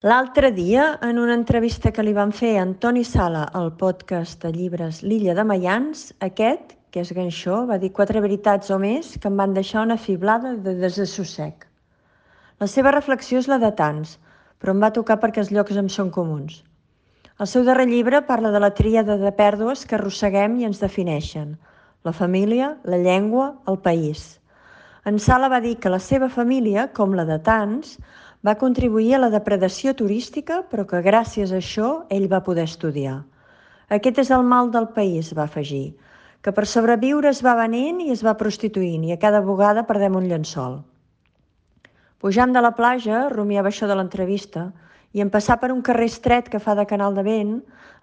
L'altre dia, en una entrevista que li van fer a Antoni Sala al podcast de llibres L'Illa de Maians, aquest, que és ganxó, va dir 4 veritats o més que em van deixar una fiblada de desassossec. La seva reflexió és la de tants, però em va tocar perquè els llocs em són comuns. El seu darrer llibre parla de la tríada de pèrdues que arrosseguem i ens defineixen: la família, la llengua, el país. En Sala va dir que la seva família, com la de tants, va contribuir a la depredació turística, però que gràcies a això ell va poder estudiar. Aquest és el mal del país, va afegir, que per sobreviure es va venent i es va prostituint i a cada bugada perdem un llençol. Pujant de la platja, rumiava això de l'entrevista, i en passar per un carrer estret que fa de canal de vent,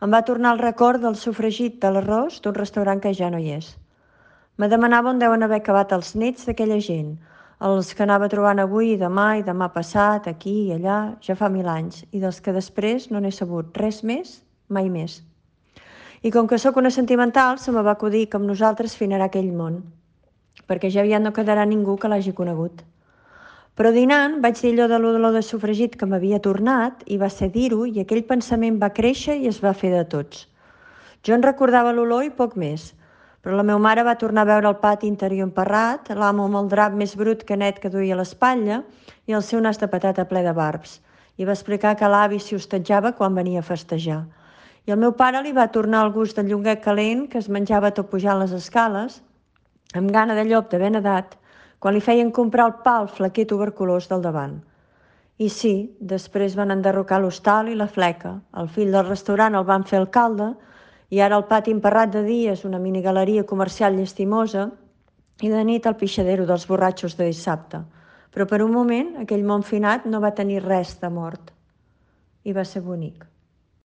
em va tornar el record del sofregit de l'arròs d'un restaurant que ja no hi és. Me demanava on deuen haver acabat els nets d'aquella gent, els que anava trobant avui i demà passat, aquí i allà, ja fa 1000 anys, i dels que després no n'he sabut res més, mai més. I com que sóc una sentimental, se me va acudir que amb nosaltres finarà aquell món, perquè ja aviat no quedarà ningú que l'hagi conegut. Però dinant vaig dir allò de l'olor de sofregit que m'havia tornat i va ser dir-ho i aquell pensament va créixer i es va fer de tots. Jo en recordava l'olor i poc més, però la meva mare va tornar a veure el pati interior emparrat, l'amo amb el drap més brut que net que duia a l'espatlla i el seu nas de patata ple de barbs, i va explicar que l'avi s'hi hostatjava quan venia a festejar. I el meu pare li va tornar el gust del llonguet calent que es menjava tot pujant les escales, amb gana de llop de ben edat, quan li feien comprar el pa al flequer tuberculós del davant. I sí, després van enderrocar l'hostal i la fleca, el fill del restaurant el van fer alcalde, i ara el pati emparrat de dia és una minigaleria comercial llastimosa i de nit el pixadero dels borratxos de dissabte. Però per un moment aquell món finat no va tenir res de mort. I va ser bonic.